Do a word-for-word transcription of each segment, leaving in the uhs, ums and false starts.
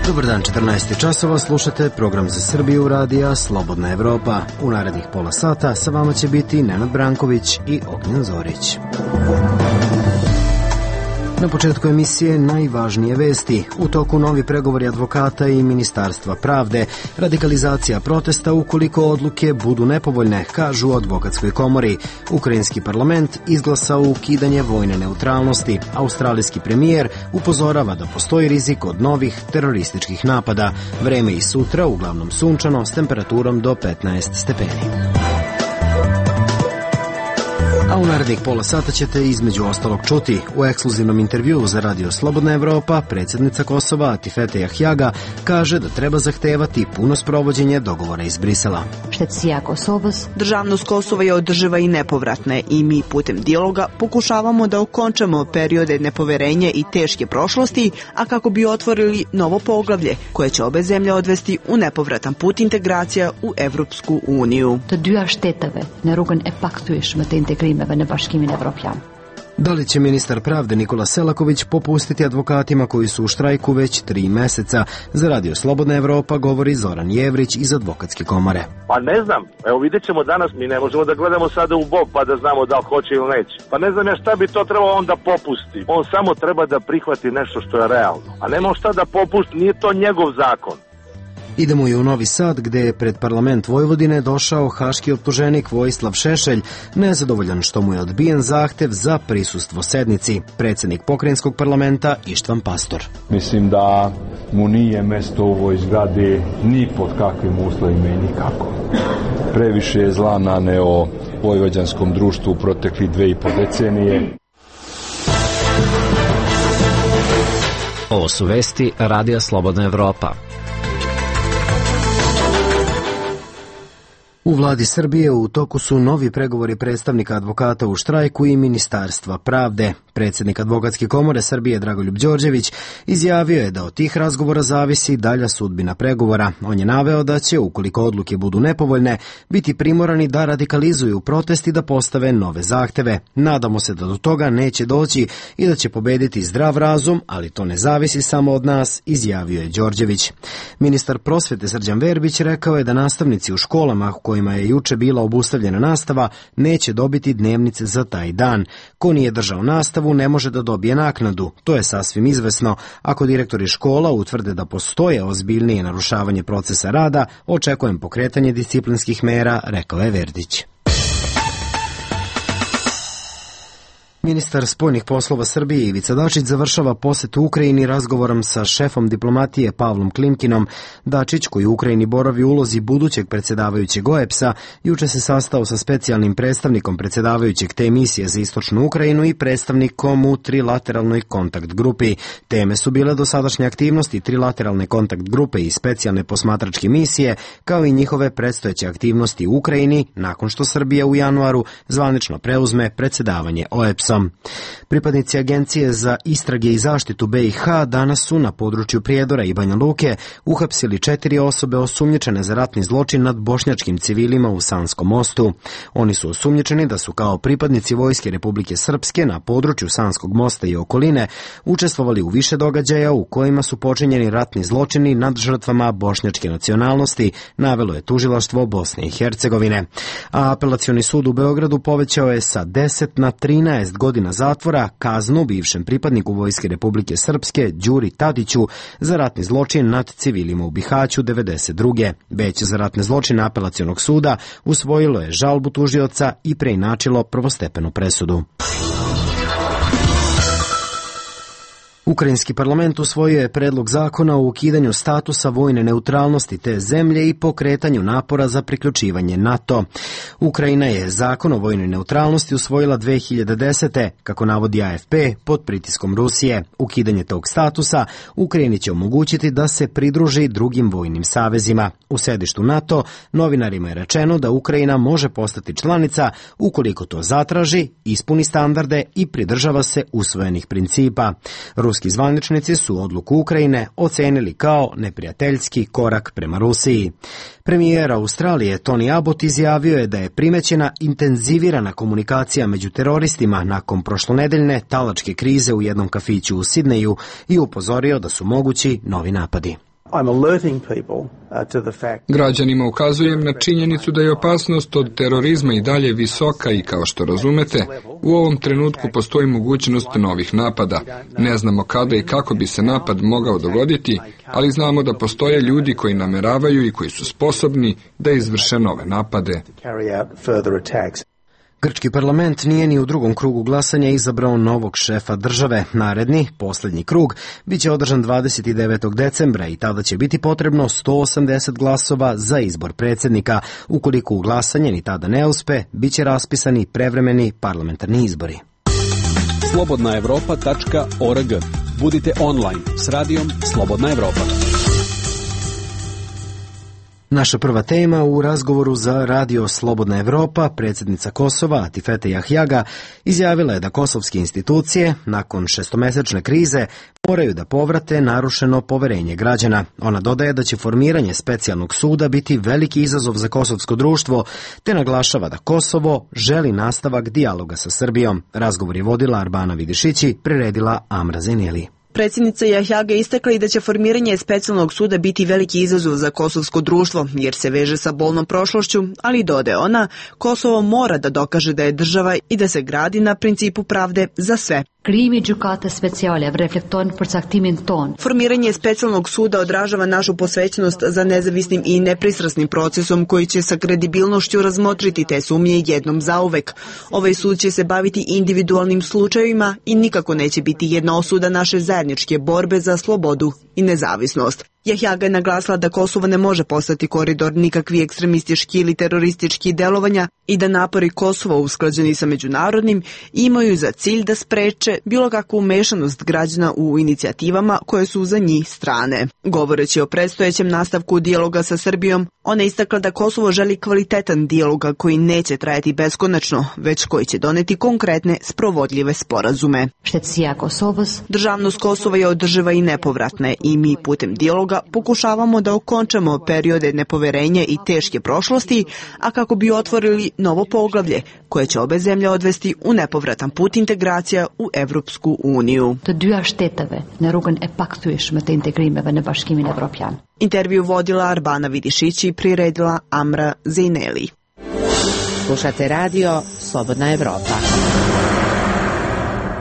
Dobar dan, četrnaest časova, slušate program za Srbiju radija Slobodna Evropa. U narednih pola sata sa vama će biti Nenad Branković i Ognjen Zorić. Na početku emisije najvažnije vesti. U toku novi pregovori advokata i Ministarstva pravde. Radikalizacija protesta ukoliko odluke budu nepovoljne, kažu u advokatskoj komori. Ukrajinski parlament izglasao ukidanje vojne neutralnosti. Australijski premijer upozorava da postoji rizik od novih terorističkih napada. Vreme i sutra uglavnom sunčano s temperaturom do petnaest stepeni. A u narednih pola sata ćete između ostalog čuti u ekskluzivnom intervjuu za Radio Slobodna Evropa predsjednica Kosova Atifete Jahjaga kaže da treba zahtevati puno sprovođenje dogovora iz Brisela. Državnost Kosova je održiva i nepovratna i mi putem dijaloga pokušavamo da okončamo periode nepoverenja i teške prošlosti, a kako bi otvorili novo poglavlje koje će obe zemlje odvesti u nepovratan put integracija u Evropsku uniju. Da li će ministar pravde Nikola Selaković popustiti advokatima koji su u štrajku već tri meseca? Za Radio Slobodna Evropa govori Zoran Jevrić iz advokatske komore. Pa ne znam, evo vidjet ćemo danas, mi ne možemo da gledamo sada u bok pa da znamo da li hoće ili neće. Pa ne znam ja šta bi to trebalo onda popusti. On samo treba da prihvati nešto što je realno. A nema šta da popusti, nije to njegov zakon. Idemo i u Novi Sad, gde je pred parlament Vojvodine došao haški optuženik Vojislav Šešelj, nezadovoljan što mu je odbijen zahtev za prisustvo sednici. Predsjednik pokrajinskog parlamenta Ištvan Pastor. Mislim da mu nije mesto u ovoj zgradi ni pod kakvim uslovima i nikako. Previše je zla naneo vojvođanskom društvu u protekli dve i po decenije. Ovo su vesti Radija Slobodna Evropa. U vladi Srbije u toku su novi pregovori predstavnika advokata u štrajku i Ministarstva pravde. Predsjednik advokatske komore Srbije Dragoljub Đorđević izjavio je da od tih razgovora zavisi dalja sudbina pregovora. On je naveo da će, ukoliko odluke budu nepovoljne, biti primorani da radikalizuju protest i da postave nove zahteve. Nadamo se da do toga neće doći i da će pobediti zdrav razum, ali to ne zavisi samo od nas, izjavio je Đorđević. Ministar prosvete Srđan Verbić rekao je da nastavnici u školama u kojima je juče bila obustavljena nastava neće dobiti dnevnice za taj dan. Ko nije držao nastavu ne može da dobije naknadu. To je sasvim izvesno. Ako direktori škola utvrde da postoje ozbiljnije narušavanje procesa rada, očekujem pokretanje disciplinskih mera, rekao je Verdić. Ministar spoljnih poslova Srbije Ivica Dačić završava posetu Ukrajini razgovorom sa šefom diplomatije Pavlom Klimkinom. Dačić, koji u Ukrajini boravi u ulozi budućeg predsjedavajućeg O E B S-a, juče se sastao sa specijalnim predstavnikom predsjedavajućeg te misije za istočnu Ukrajinu i predstavnikom u trilateralnoj kontakt grupi. Teme su bile dosadašnje aktivnosti trilateralne kontakt grupe i specijalne posmatračke misije, kao i njihove predstojeće aktivnosti u Ukrajini nakon što Srbija u januaru zvanično preuzme predsjedavanje O E B S-om. Pripadnici Agencije za istrage i zaštitu B i H danas su na području Prijedora i Banja Luke uhapsili četiri osobe osumnjičene za ratni zločin nad bošnjačkim civilima u Sanskom mostu. Oni su osumnjičeni da su kao pripadnici Vojske Republike Srpske na području Sanskog mosta i okoline učestvovali u više događaja u kojima su počinjeni ratni zločini nad žrtvama bošnjačke nacionalnosti, navelo je tužilaštvo Bosne i Hercegovine. A apelacioni sud u Beogradu povećao je sa deset na trinaest godina zatvora kaznu bivšem pripadniku Vojske Republike Srpske Đuri Tadiću za ratni zločin nad civilima u Bihaću devedeset druge. Veće za ratne zločine apelacionog suda usvojilo je žalbu tužioca i preinačilo prvostepenu presudu. Ukrajinski parlament usvojio je predlog zakona o ukidanju statusa vojne neutralnosti te zemlje i pokretanju napora za priključivanje NATO. Ukrajina je zakon o vojnoj neutralnosti usvojila dve hiljade desete. Kako navodi A F P, pod pritiskom Rusije. Ukidanje tog statusa Ukrajini će omogućiti da se pridruži drugim vojnim savezima. U sedištu NATO novinarima je rečeno da Ukrajina može postati članica ukoliko to zatraži, ispuni standarde i pridržava se usvojenih principa. Ruski zvaničnici su odluku Ukrajine ocenili kao neprijateljski korak prema Rusiji. Premijer Australije Tony Abbott izjavio je da je primećena intenzivirana komunikacija među teroristima nakon prošlonedeljne talačke krize u jednom kafiću u Sidneju i upozorio da su mogući novi napadi. Građanima ukazujem na činjenicu da je opasnost od terorizma i dalje visoka i, kao što razumete, u ovom trenutku postoji mogućnost novih napada. Ne znamo kada i kako bi se napad mogao dogoditi, ali znamo da postoje ljudi koji nameravaju i koji su sposobni da izvrše nove napade. Grčki parlament nije ni u drugom krugu glasanja izabrao novog šefa države. Naredni, posljednji krug, bit će održan dvadeset devetog decembra i tada će biti potrebno sto osamdeset glasova za izbor predsjednika. Ukoliko u glasanje ni tada ne uspe, bit će raspisani prevremeni parlamentarni izbori. slobodna evropa tačka org. Budite online s radijom Slobodna Evropa. Naša prva tema u razgovoru za radio Slobodna Evropa, predsjednica Kosova Atifete Jahjaga, izjavila je da kosovske institucije, nakon šestomesečne krize, moraju da povrate narušeno poverenje građana. Ona dodaje da će formiranje specijalnog suda biti veliki izazov za kosovsko društvo, te naglašava da Kosovo želi nastavak dijaloga sa Srbijom. Razgovor je vodila Arbana Vidišići, priredila Amra Zeneli. Predsjednica Jahjaga istakla i da će formiranje specijalnog suda biti veliki izazov za kosovsko društvo, jer se veže sa bolnom prošlošću, ali dodaje ona, Kosovo mora da dokaže da je država i da se gradi na principu pravde za sve. Krijimi gjykate speciale reflekton përcaktimin ton. Formiranje specijalnog suda odražava našu posvećenost za nezavisnim i nepristrasnim procesom koji će sa kredibilnošću razmotriti te sumnje jednom zauvek. Ovaj sud će se baviti individualnim slučajevima i nikako neće biti jedna osuda naše zajedničke borbe za slobodu i nezavisnost. Jahjaga je naglasila da Kosovo ne može postati koridor nikakvi ekstremistički ili teroristički delovanja i da napori Kosova usklađeni sa međunarodnim imaju za cilj da spreče bilo kakvu umešanost građana u inicijativama koje su za njih strane. Govoreći o predstojećem nastavku dijaloga sa Srbijom, ona je istakla da Kosovo želi kvalitetan dijaloga koji neće trajati beskonačno, već koji će doneti konkretne sprovodljive sporazume. Državnost Kosova je održiva i nepovratna i mi putem dijaloga pokušavamo da okončamo periode nepoverenja i teške prošlosti, a kako bi otvorili novo poglavlje koje će obe zemlje odvesti u nepovratan put integracija u Evropsku uniju. Intervju vodila Arbana Vidišići i priredila Amra Zeneli. Slušate radio Slobodna Evropa.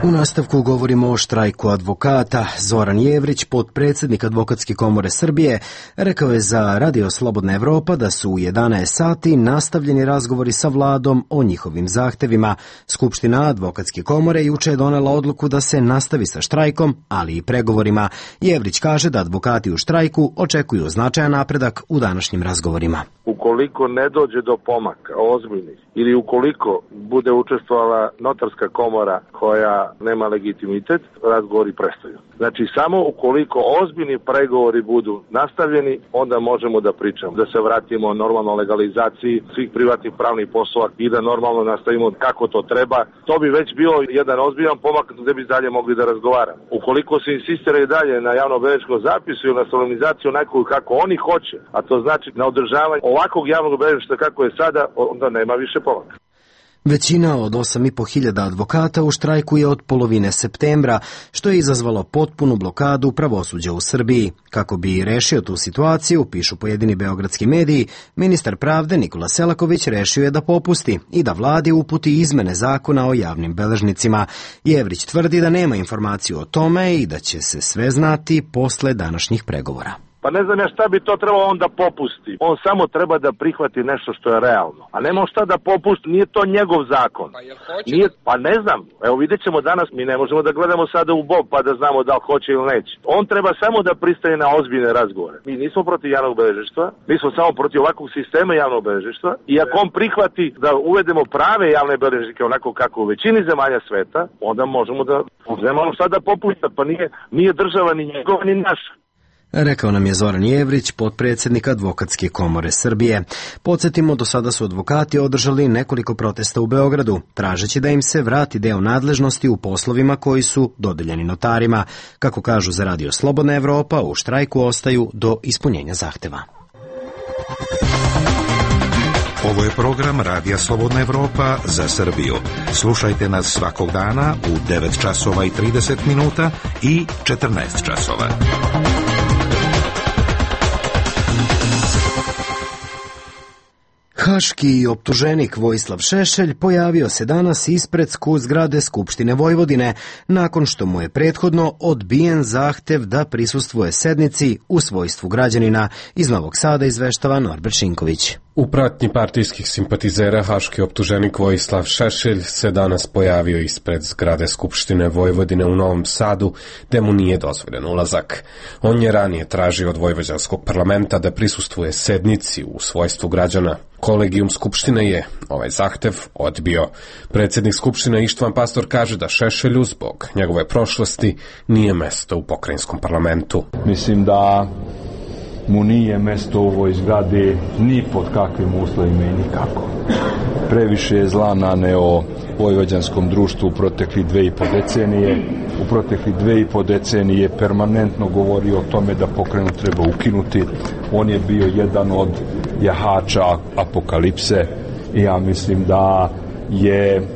U nastavku govorimo o štrajku advokata. Zoran Jevrić, potpredsjednik Advokatske komore Srbije, rekao je za radio Slobodna Evropa da su u jedanaest sati nastavljeni razgovori sa vladom o njihovim zahtevima. Skupština Advokatske komore juče je donela odluku da se nastavi sa štrajkom, ali i pregovorima. Jevrić kaže da advokati u štrajku očekuju značajan napredak u današnjim razgovorima. Ukoliko ne dođe do pomaka ozbiljnih ili ukoliko bude učestvovala notarska komora koja nema legitimitet, razgovori prestaju. Znači, samo ukoliko ozbiljni pregovori budu nastavljeni, onda možemo da pričamo, da se vratimo normalno legalizaciji svih privatnih pravnih poslova i da normalno nastavimo kako to treba. To bi već bio jedan ozbiljan pomak gde bi dalje mogli da razgovaramo. Ukoliko se insistira i dalje na javno-beležničkom zapisu ili na solemnizaciju nekog kako oni hoće, a to znači na održavanje ovakvog javnog beležništva kako je sada, onda nema više pomaka. Većina od osam i po hiljada advokata u štrajku je od polovine septembra, što je izazvalo potpunu blokadu pravosuđa u Srbiji. Kako bi rešio tu situaciju, pišu pojedini beogradski mediji, ministar pravde Nikola Selaković rešio je da popusti i da vladi uputi izmene zakona o javnim beležnicima. Jevrić tvrdi da nema informaciju o tome i da će se sve znati posle današnjih pregovora. Pa ne znam ja šta bi to trebalo on da popusti. On samo treba da prihvati nešto što je realno. A nema šta da popusti, nije to njegov zakon. Pa jel hoće? Nije, pa ne znam, evo vidjet ćemo danas, mi ne možemo da gledamo sada u bob pa da znamo da li hoće ili neće. On treba samo da pristaje na ozbiljne razgovore. Mi nismo protiv javnog beležništva, mi smo samo protiv ovakvog sistema javnog beležništva i ako on prihvati da uvedemo prave javne beležnike onako kako u većini zemalja sveta, onda možemo da uzmemo šta da popušta, pa nije, nije država ni njegova ni naša. Rekao nam je Zoran Jevrić, potpredsjednik Advokatske komore Srbije. Podsjetimo, do sada su advokati održali nekoliko protesta u Beogradu, tražeći da im se vrati deo nadležnosti u poslovima koji su dodeljeni notarima. Kako kažu za radio Slobodna Evropa, u štrajku ostaju do ispunjenja zahteva. Ovo je program Radija Slobodna Evropa za Srbiju. Slušajte nas svakog dana u devet časova i trideset minuta i četrnaest časova. Haški optuženik Vojislav Šešelj pojavio se danas ispred zgrade Skupštine Vojvodine, nakon što mu je prethodno odbijen zahtev da prisustvuje sednici u svojstvu građanina. Iz Novog Sada izveštava Norbert Šinković. U pratnji partijskih simpatizera haški optuženik Vojislav Šešelj se danas pojavio ispred zgrade Skupštine Vojvodine u Novom Sadu, gde mu nije dozvoljen ulazak. On je ranije tražio od vojvođanskog parlamenta da prisustvuje sednici u svojstvu građana. Kolegijum Skupštine je ovaj zahtev odbio. Predsjednik Skupštine Ištvan Pastor kaže da Šešelju zbog njegove prošlosti nije mesto u pokrajinskom parlamentu. Mislim da mu nije mesto u ovoj zgradi ni pod kakvim uslovima i nikako. Previše je zla naneo vojvođanskom društvu u protekli dve i po decenije. U protekli dve i po decenije permanentno govorio o tome da pokrajinu treba ukinuti. On je bio jedan od jahača apokalipse i ja mislim da je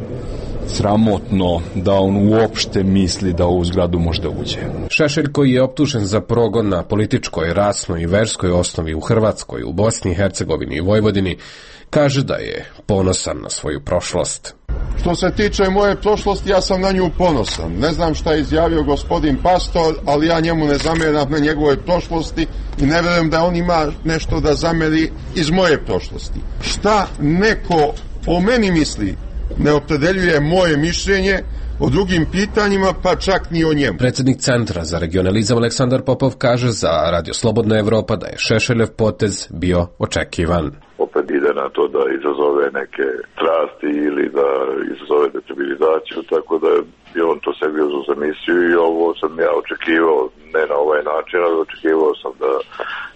sramotno da on uopšte misli da u zgradu može da uđe. Šešelj, koji je optužen za progon na političkoj, rasnoj i verskoj osnovi u Hrvatskoj, u Bosni i Hercegovini i Vojvodini, kaže da je ponosan na svoju prošlost. Što se tiče moje prošlosti, ja sam na nju ponosan. Ne znam šta je izjavio gospodin Pastor, ali ja njemu ne zameram na njegovoj prošlosti i ne verujem da on ima nešto da zameri iz moje prošlosti. Šta neko o meni misli ne opredeljuje moje mišljenje o drugim pitanjima, pa čak ni o njemu. Predsjednik Centra za regionalizam Aleksandar Popov kaže za Radio Slobodna Evropa da je Šešeljev potez bio očekivan. Opet ide na to da izazove neke strasti ili da izazove destabilizaciju, tako da je on to sebi uzeo za misiju i ovo sam ja očekivao, ne na ovaj način, ali očekivao sam da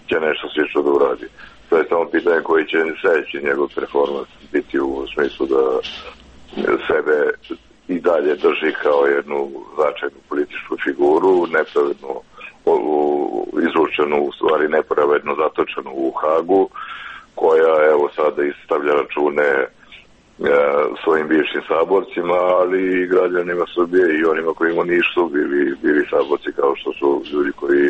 će nešto slično da uradi. To je samo pitanje koji će sljedeći njegov performans biti u smislu da sebe i dalje drži kao jednu značajnu političku figuru, nepravedno izručenu, u stvari nepravedno zatočenu u Hagu, koja evo sada istavlja račune e, svojim bivšim saborcima, ali i građanima Srbije i onima kojima nisu bili, bili saborci kao što su ljudi koji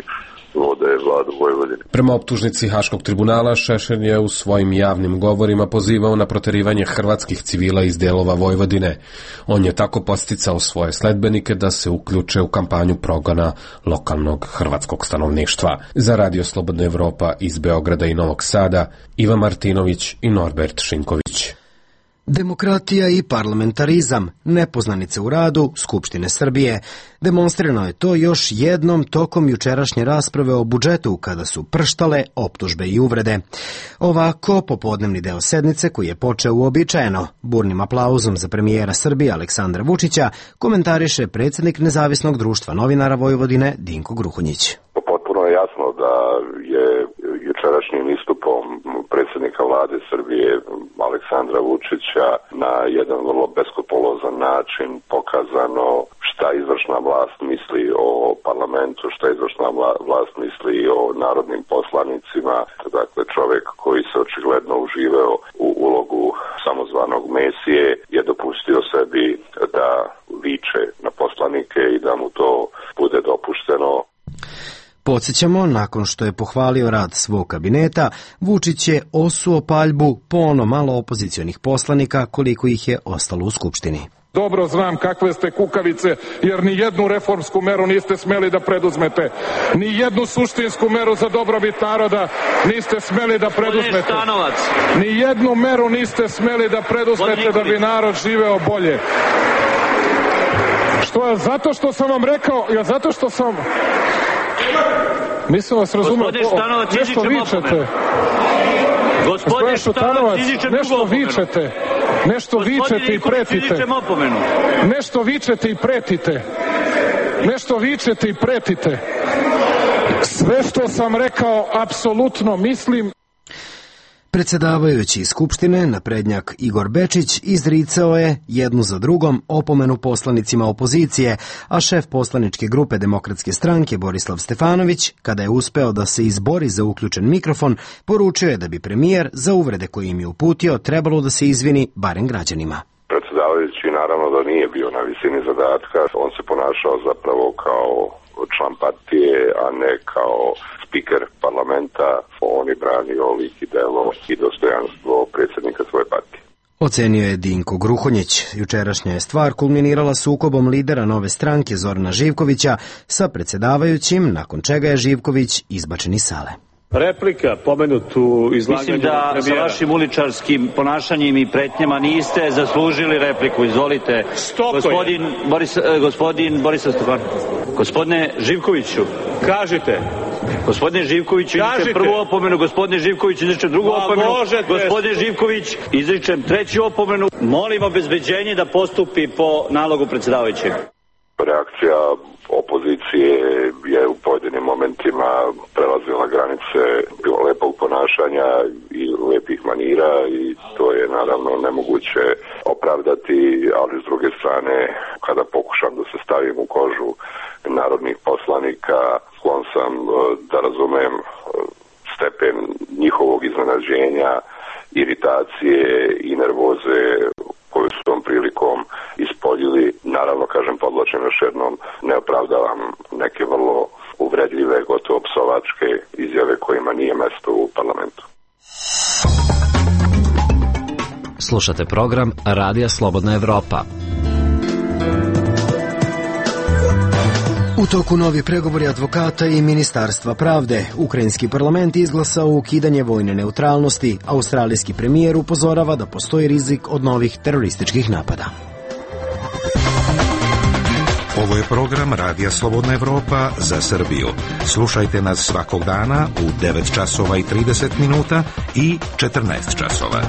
vode vladu Vojvodine. Prema optužnici Haškog tribunala, Šešelj je u svojim javnim govorima pozivao na proterivanje hrvatskih civila iz delova Vojvodine. On je tako podsticao svoje sledbenike da se uključe u kampanju progona lokalnog hrvatskog stanovništva. Za Radio Slobodna Evropa iz Beograda i Novog Sada, Iva Martinović i Norbert Šinković. Demokratija i parlamentarizam, nepoznanice u radu Skupštine Srbije. Demonstrirano je to još jednom tokom jučerašnje rasprave o budžetu, kada su prštale optužbe i uvrede. Ovako, popodnevni deo sednice, koji je počeo uobičajeno burnim aplauzom za premijera Srbije Aleksandra Vučića, komentariše predsjednik Nezavisnog društva novinara Vojvodine Dinko Gruhunjić. Potpuno je jasno da je jučerašnjim istupom predsjednika vlade Srbije Aleksandra Vučića na jedan vrlo beskopolozan način pokazano šta izvršna vlast misli o parlamentu, šta izvršna vlast misli o narodnim poslanicima. Dakle, čovjek koji se očigledno uživao u ulogu samozvanog Mesije je dopustio sebi da viče na poslanike i da mu to bude dopušteno. Podsjećamo, nakon što je pohvalio rad svog kabineta, Vučić je osuo paljbu po ono malo opozicionih poslanika koliko ih je ostalo u Skupštini. Dobro znam kakve ste kukavice, jer ni jednu reformsku meru niste smeli da preduzmete. Ni jednu suštinsku meru za dobrobit naroda niste smeli da preduzmete. Ni jednu meru niste smeli da preduzmete da bi narod živeo bolje. Što je zato što sam vam rekao, ja zato što sam... Mislim vas razumio, nešto vičete. Gospodin Šutanovac, nešto vičete. Nešto vičete i pretite. Nešto vičete i pretite. Nešto vičete i pretite. Sve što sam rekao, apsolutno mislim. Predsjedavajući iz Skupštine, naprednjak Igor Bečić, izricao je jednu za drugom opomenu poslanicima opozicije, a šef poslaničke grupe Demokratske stranke Borislav Stefanović, kada je uspeo da se izbori za uključen mikrofon, poručio je da bi premijer za uvrede koje im je uputio trebalo da se izvini barem građanima. Predsjedavajući naravno da nije bio na visini zadatka, on se ponašao zapravo kao član partije, a ne kao spiker parlamenta, on je branio lik i delo i dostojanstvo predsjednika svoje partije. Ocenio je Dinko Gruhonjić. Jučerašnja je stvar kulminirala sukobom lidera Nove stranke Zorana Živkovića sa predsjedavajućim, nakon čega je Živković izbačen iz sale. Replika, pomenutu izlaganju. Mislim da sa vašim uličarskim ponašanjem i pretnjama niste zaslužili repliku. Izvolite. Gospodin Boris, gospodin Borislav Stefan. Gospodine Živkoviću. Kažite. Gospodine Živkoviću, izričem prvu opomenu. Gospodine Živkoviću, izričem drugu Ma, opomenu. Možete. Gospodine Živković, izričem treću opomenu. Molim obezbeđenje da postupi po nalogu predsjedavajućeg. Reakcija opozicije je u pojedinim momentima prelazila granice bilo lepog ponašanja i lepih manira i to je naravno nemoguće opravdati, ali s druge strane kada pokušam da se stavim u kožu narodnih poslanika, sklon sam da razumem stepen njihovog iznenađenja, iritacije i nervoze koju su tom prilikom ispoljili. Naravno, kažem, podlačem još jednom, ne opravdavam neke vrlo uvredljive, gotovo psovačke izjave kojima nije mesto u parlamentu. Slušate program Radija Slobodna Evropa. U toku novi pregovori advokata i Ministarstva pravde. Ukrajinski parlament izglasao ukidanje vojne neutralnosti. Australijski premijer upozorava da postoji rizik od novih terorističkih napada. Ovo je program Radija Slobodna Evropa za Srbiju. Slušajte nas svakog dana u devet časova i trideset minuta i četrnaest časova.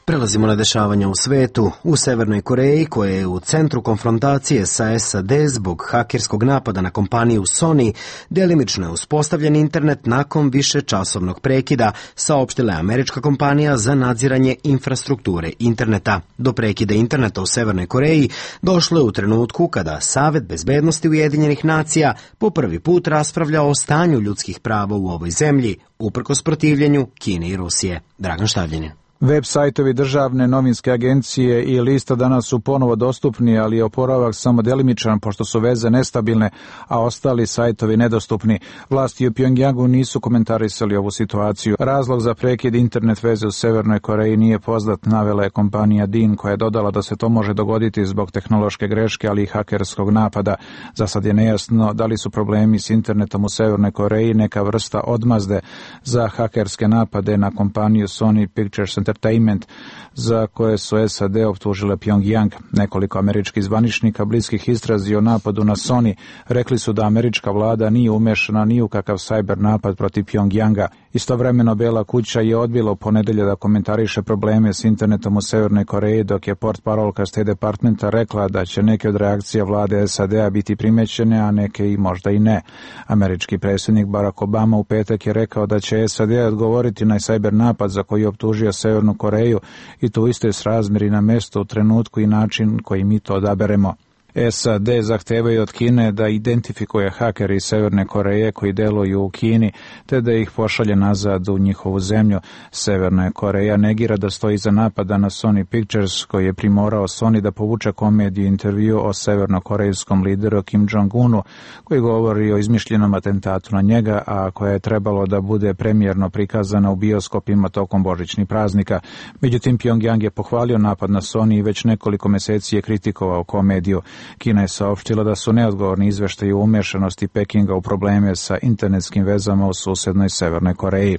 Prelazimo na dešavanja u svetu. U Severnoj Koreji, koja je u centru konfrontacije sa S A D zbog hakerskog napada na kompaniju Sony, delimično je uspostavljen internet nakon višečasovnog prekida, saopštila je američka kompanija za nadziranje infrastrukture interneta. Do prekida interneta u Severnoj Koreji došlo je u trenutku kada Savet bezbednosti Ujedinjenih nacija po prvi put raspravlja o stanju ljudskih prava u ovoj zemlji, uprkos protivljenju Kine i Rusije. Dragan Štavljanin. Web sajtovi državne novinske agencije i lista danas su ponovo dostupni, ali je oporavak samo delimičan pošto su veze nestabilne, a ostali sajtovi nedostupni. Vlasti u Pjongjangu nisu komentarisali ovu situaciju. Razlog za prekid internet veze u Severnoj Koreji nije poznat, navela je kompanija Din, koja je dodala da se to može dogoditi zbog tehnološke greške, ali i hakerskog napada. Za sad je nejasno da li su problemi s internetom u Severnoj Koreji neka vrsta odmazde za hakerske napade na kompaniju Sony Pictures Entertainment, za koje su S A D optužile Pjongjang. Nekoliko američkih zvaničnika bliskih istrazi o napadu na Sony rekli su da američka vlada nije umešana ni u kakav sajber napad protiv Pjongjanga. Istovremeno Bela kuća je odbila u ponedelje da komentariše probleme s internetom u Severnoj Koreji, dok je portparolka State Departmenta rekla da će neke od reakcija vlade S A D-a biti primećene, a neke i možda i ne. Američki predsjednik Barack Obama u petak je rekao da će S A D odgovoriti na sajber napad za koji je optužio Severnu Koreju i to isto je srazmeri na mesto, u trenutku i način koji mi to odaberemo. S A D zahtevaju od Kine da identifikuje hakeri iz Severne Koreje koji deluju u Kini, te da ih pošalje nazad u njihovu zemlju. Severna Koreja negira da stoji iza napada na Sony Pictures, koji je primorao Sony da povuče komediju intervju o severnokorejskom lideru Kim Jong-unu, koji govori o izmišljenom atentatu na njega, a koja je trebalo da bude premijerno prikazana u bioskopima tokom božićnih praznika. Međutim, Pjongjang je pohvalio napad na Sony i već nekoliko meseci je kritikovao komediju. Kina je saopštila da su neodgovorni izveštaji o umešanosti Pekinga u probleme sa internetskim vezama u susednoj Severnoj Koreji.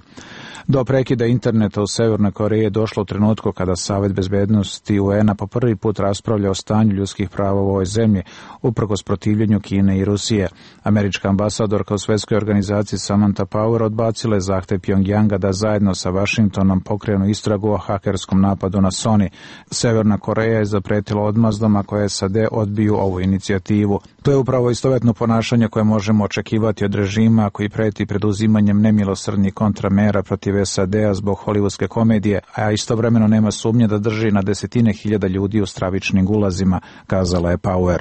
Do prekida interneta u Severnoj Koreji je došlo u trenutku kada Savet bezbednosti U N-a po prvi put raspravlja o stanju ljudskih prava u ovoj zemlji, uprkos protivljenju Kine i Rusije. Američka ambasadorka u Svetskoj organizaciji Samantha Power odbacila je zahtev Pjongjanga da zajedno sa Vašingtonom pokrenu istragu o hakerskom napadu na Sony. Severna Koreja je zapretila odmazdom ako S A D odbiju ovu inicijativu. To je upravo istovetno ponašanje koje možemo očekivati od režima koji preti preduzimanjem nemilosrdnih kontramera protiv S A D-a zbog hollywoodske komedije, a istovremeno nema sumnje da drži na desetine hiljada ljudi u stravičnim gulazima, kazala je Power.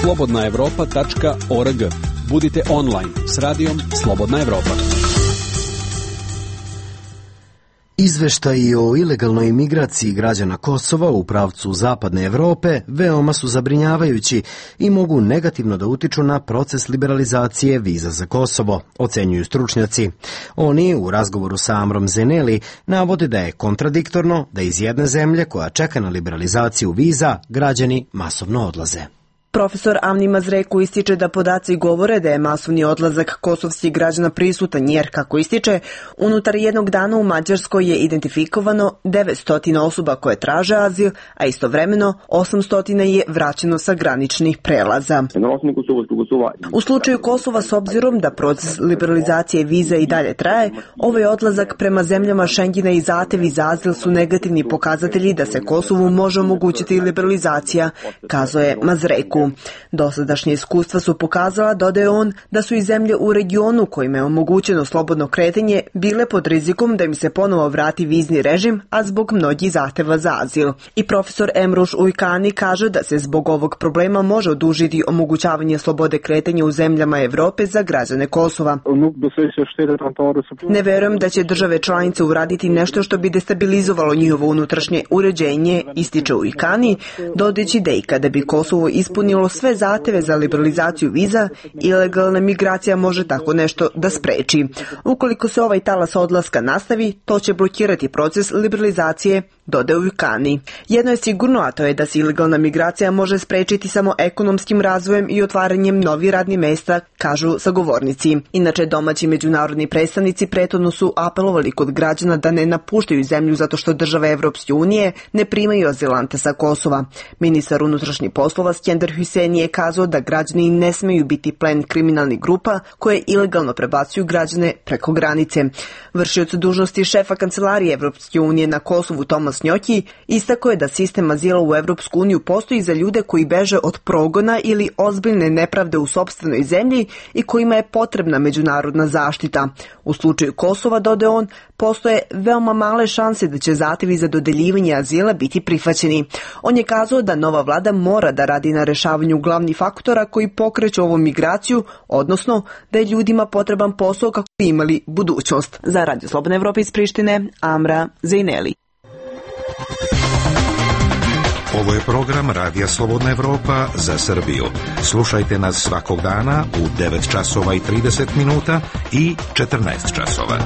slobodna evropa tačka org. Budite online s radijom Slobodna Evropa. Izveštaji o ilegalnoj imigraciji građana Kosova u pravcu zapadne Evrope veoma su zabrinjavajući i mogu negativno da utiču na proces liberalizacije viza za Kosovo, ocenjuju stručnjaci. Oni u razgovoru sa Amrom Zeneli navode da je kontradiktorno da iz jedne zemlje koja čeka na liberalizaciju viza građani masovno odlaze. Profesor Amni Mazreku ističe da podaci govore da je masovni odlazak kosovskih građana prisutan jer, kako ističe, unutar jednog dana u Mađarskoj je identifikovano devetsto osoba koje traže azil, a istovremeno osamsto je vraćeno sa graničnih prelaza. U slučaju Kosova, s obzirom da proces liberalizacije viza i dalje traje, ovaj odlazak prema zemljama Šengena i zahtevi za azil su negativni pokazatelji da se Kosovu može omogućiti liberalizacija, kazao je Mazreku. Dosadašnje iskustva su pokazala, dodaje on, da su i zemlje u regionu kojima je omogućeno slobodno kretanje bile pod rizikom da im se ponovo vrati vizni režim, a zbog mnogih zahteva za azil. I profesor Emruš Ujkani kaže da se zbog ovog problema može odužiti omogućavanje slobode kretanja u zemljama Evrope za građane Kosova. Ne verujem da će države članice uraditi nešto što bi destabilizovalo njihovo unutrašnje uređenje, ističe Ujkani, dodajući da i kada bi Kosovo ispunilo sve zahteve za liberalizaciju viza, ilegalna migracija može tako nešto da spreči. Ukoliko se ovaj talas odlaska nastavi, to će blokirati proces liberalizacije, dodaje Ujkani. Jedno je sigurno, a to je da se ilegalna migracija može sprečiti samo ekonomskim razvojem i otvaranjem novih radnih mesta, kažu sagovornici. Inače, domaći međunarodni predstavnici prethodno su apelovali kod građana da ne napuštaju zemlju zato što države Evropske unije ne primaju azilante sa Kosova. Ministar unutrašnjih poslova Skender Hüseyin je kazao da građani ne smeju biti plen kriminalnih grupa koje ilegalno prebacuju građane preko granice. Vršioc dužnosti šefa kancelarije Evropske unije na Kosovu Tomas Njoki istakao je da sistem azila u Evropsku uniju postoji za ljude koji beže od progona ili ozbiljne nepravde u sopstvenoj zemlji i kojima je potrebna međunarodna zaštita. U slučaju Kosova, dodaje on, postoje veoma male šanse da će zahtevi za dodeljivanje azila biti prihvaćeni. On je kazao da nova vlada mora da radi na rešavanju glavnih faktora koji pokreću ovu migraciju, odnosno da je ljudima potreban posao kako bi imali budućnost. Za Radio Slobodna Evropa iz Prištine, Amra Zejneli. Ovo je program Radija Slobodna Evropa za Srbiju. Slušajte nas svakog dana u devet časova i trideset minuta i četrnaest časova.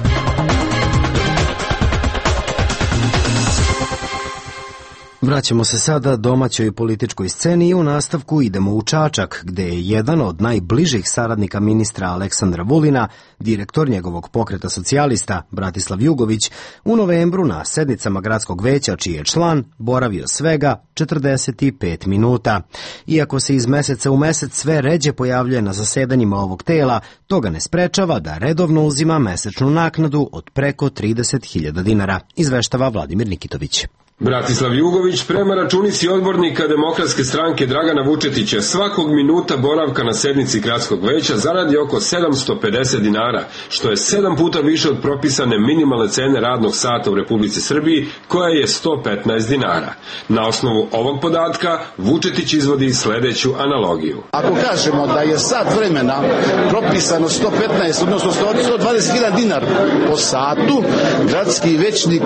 Vraćamo se sada domaćoj političkoj sceni i u nastavku idemo u Čačak, gde je jedan od najbližih saradnika ministra Aleksandra Vulina, direktor njegovog pokreta socijalista Bratislav Jugović, u novembru na sednicama gradskog veća, čiji je član, boravio svega četrdeset pet minuta. Iako se iz meseca u mesec sve ređe pojavljuje na zasedanjima ovog tela, to ga ne sprečava da redovno uzima mesečnu naknadu od preko trideset hiljada dinara, izveštava Vladimir Nikitović. Bratislav Jugović prema računici odbornika Demokratske stranke Dragana Vučetića svakog minuta boravka na sednici gradskog veća zaradi oko sedamsto pedeset dinara, što je sedam puta više od propisane minimalne cene radnog sata u Republici Srbiji, koja je sto petnaest dinara. Na osnovu ovog podatka Vučetić izvodi sledeću analogiju. Ako kažemo da je sat vremena propisano sto petnaest, odnosno sto dvadeset hiljada dinara po satu, gradski većnik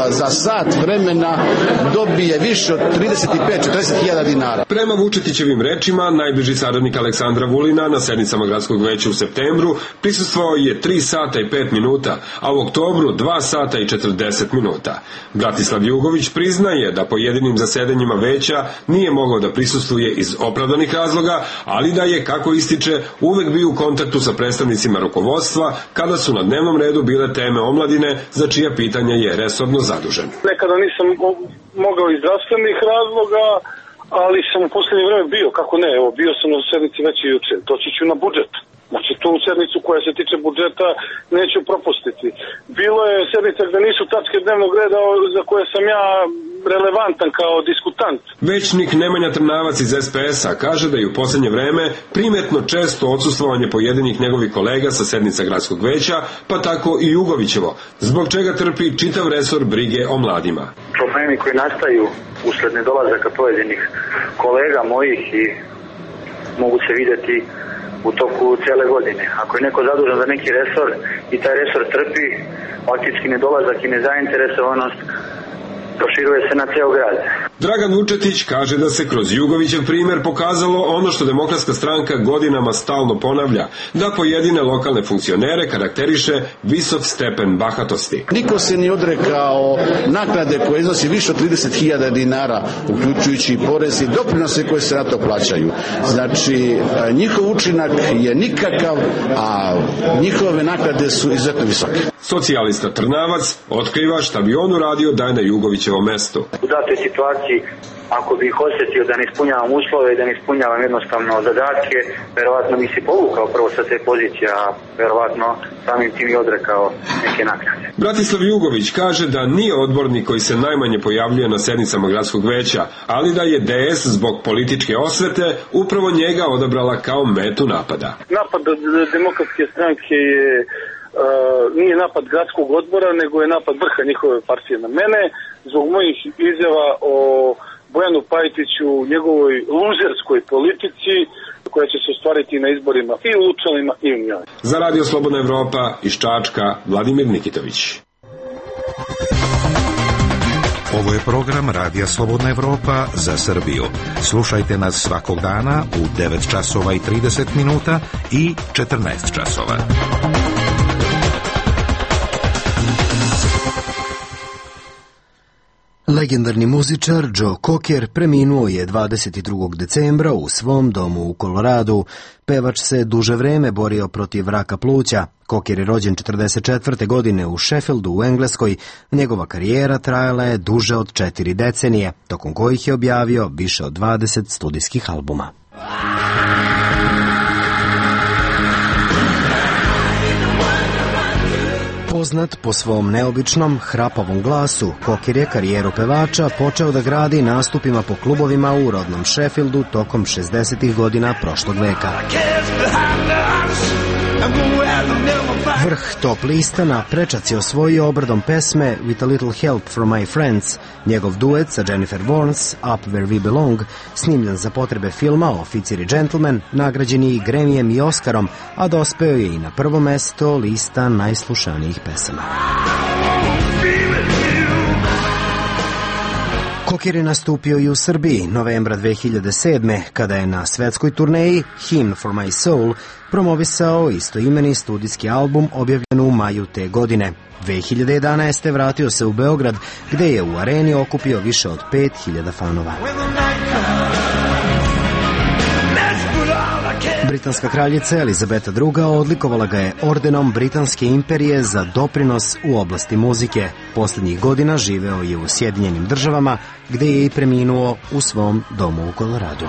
za sat vremena dobije više od trideset pet do četrdeset hiljada dinara. Prema Vučetićevim rečima, najbliži saradnik Aleksandra Vulina na sednicama gradskog veća u septembru prisustvovao je tri sata i pet minuta, a u oktobru dva sata i četrdeset minuta. Bratislav Jugović priznaje da pojedinim zasedanjima veća nije mogao da prisustvuje iz opravdanih razloga, ali da je, kako ističe, uvek bio u kontaktu sa predstavnicima rukovodstva kada su na dnevnom redu bile teme omladine, za čija pitanja je resorno zadužen. Nekada nisam mogao iz zdravstvenih razloga, ali sam u poslednje vreme bio, kako ne, evo, bio sam na sednici već i juče, doći ću na budžet. Znači, tu sednicu koja se tiče budžeta neću propustiti. Bilo je sednica gde nisu tačke dnevnog reda za koje sam ja relevantan kao diskutant. Većnik Nemanja Trnavac iz es pe es a kaže da je u poslednje vreme primetno često odsustvovanje pojedinih njegovih kolega sa sednica gradskog veća, pa tako i Jugovićevo, zbog čega trpi čitav resor brige o mladima. Problemi koji nastaju usled nedolazaka pojedinih kolega mojih i mogu se videti u toku cele godine. Ako je neko zadužen za neki resor i taj resor trpi, faktički nedolazak i nezainteresovanost proširuje se na ceo grad. Dragan Vučetić kaže da se kroz Jugovićev primer pokazalo ono što Demokratska stranka godinama stalno ponavlja, da pojedine lokalne funkcionere karakteriše visok stepen bahatosti. Niko se nije odrekao naknade koje iznosi više od trideset hiljada dinara, uključujući i porez i doprinose koje se na to plaćaju. Znači, njihov učinak je nikakav, a njihove naknade su izuzetno visoke. Socijalista Trnavac otkriva šta bi on uradio da je na Jugovićevom mestu. U datoj situaciji, ako bih osjetio da ne ispunjavam uslove i da ne ispunjavam jednostavno zadatke, verovatno bi se povukao prvo sa te pozicije, a verovatno samim tim i odrekao neke naknade. Bratislav Jugović kaže da nije odbornik koji se najmanje pojavljuje na sednicama gradskog veća, ali da je D S zbog političke osvete upravo njega odabrala kao metu napada. Napad Demokratske stranke je Uh, nije napad gradskog odbora, nego je napad vrha njihove partije na mene, zbog mojih izjava o Bojanu Pajtiću, njegovoj luzerskoj politici koja će se ostvariti na izborima i u Lučanima i u njoj. Za Radio Slobodna Evropa iz Čačka, Vladimir Nikitović. Ovo je program Radija Slobodna Evropa za Srbiju. Slušajte nas svakog dana u devet časova i trideset minuta i četrnaest časova. Legendarni muzičar Joe Cocker preminuo je dvadeset drugog decembra u svom domu u Koloradu. Pevač se duže vreme borio protiv raka pluća. Cocker je rođen četrdeset četvrte godine u Sheffieldu u Engleskoj. Njegova karijera trajala je duže od četiri decenije, tokom kojih je objavio više od dvadeset studijskih albuma. Poznat po svom neobičnom, hrapavom glasu, Cocker je karijeru pevača počeo da gradi nastupima po klubovima u rodnom Sheffieldu tokom šezdesetih godina prošlog veka. Vrh top lista na prečac je osvojio obradom pesme With a Little Help from My Friends. Njegov duet sa Jennifer Warnes, Up Where We Belong, snimljen za potrebe filma Oficir i džentlmen, nagrađen je i Gremijem i Oskarom, a dospeo je i na prvo mesto lista najslušanijih pesama. Cocker je nastupio i u Srbiji novembra dve hiljade sedme. kada je na svetskoj turneji Hymn for My Soul promovisao istoimeni studijski album objavljen u maju te godine. dve hiljade jedanaeste. vratio se u Beograd, gde je u areni okupio više od pet hiljada fanova. Britanska kraljica Elizabeta druga. odlikovala ga je ordenom Britanske imperije za doprinos u oblasti muzike. Poslednjih godina živeo je u Sjedinjenim državama, gde je i preminuo u svom domu u Koloradu.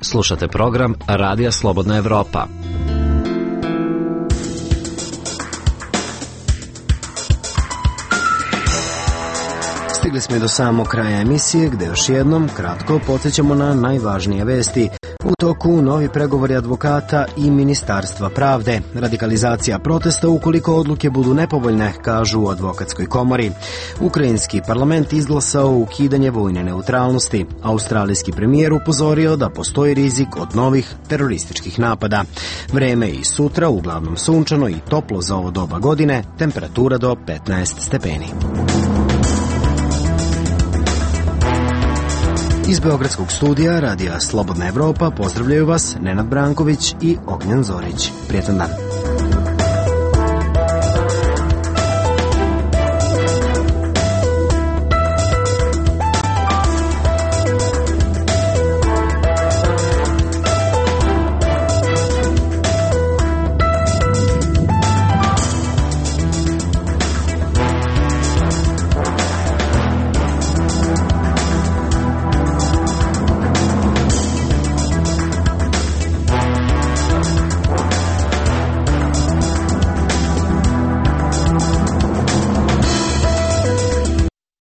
Slušate program Radija Slobodna Evropa. Stigli smo i do samog kraja emisije, gde još jednom kratko podsjećamo na najvažnije vesti. U toku novi pregovori advokata i Ministarstva pravde. Radikalizacija protesta ukoliko odluke budu nepovoljne, kažu u advokatskoj komori. Ukrajinski parlament izglasao ukidanje vojne neutralnosti. Australijski premijer upozorio da postoji rizik od novih terorističkih napada. Vreme i sutra uglavnom sunčano i toplo za ovo doba godine, temperatura do petnaest stepeni. Iz Beogradskog studija Radija Slobodna Evropa pozdravljaju vas Nenad Branković i Ognjen Zorić. Prijetan dan.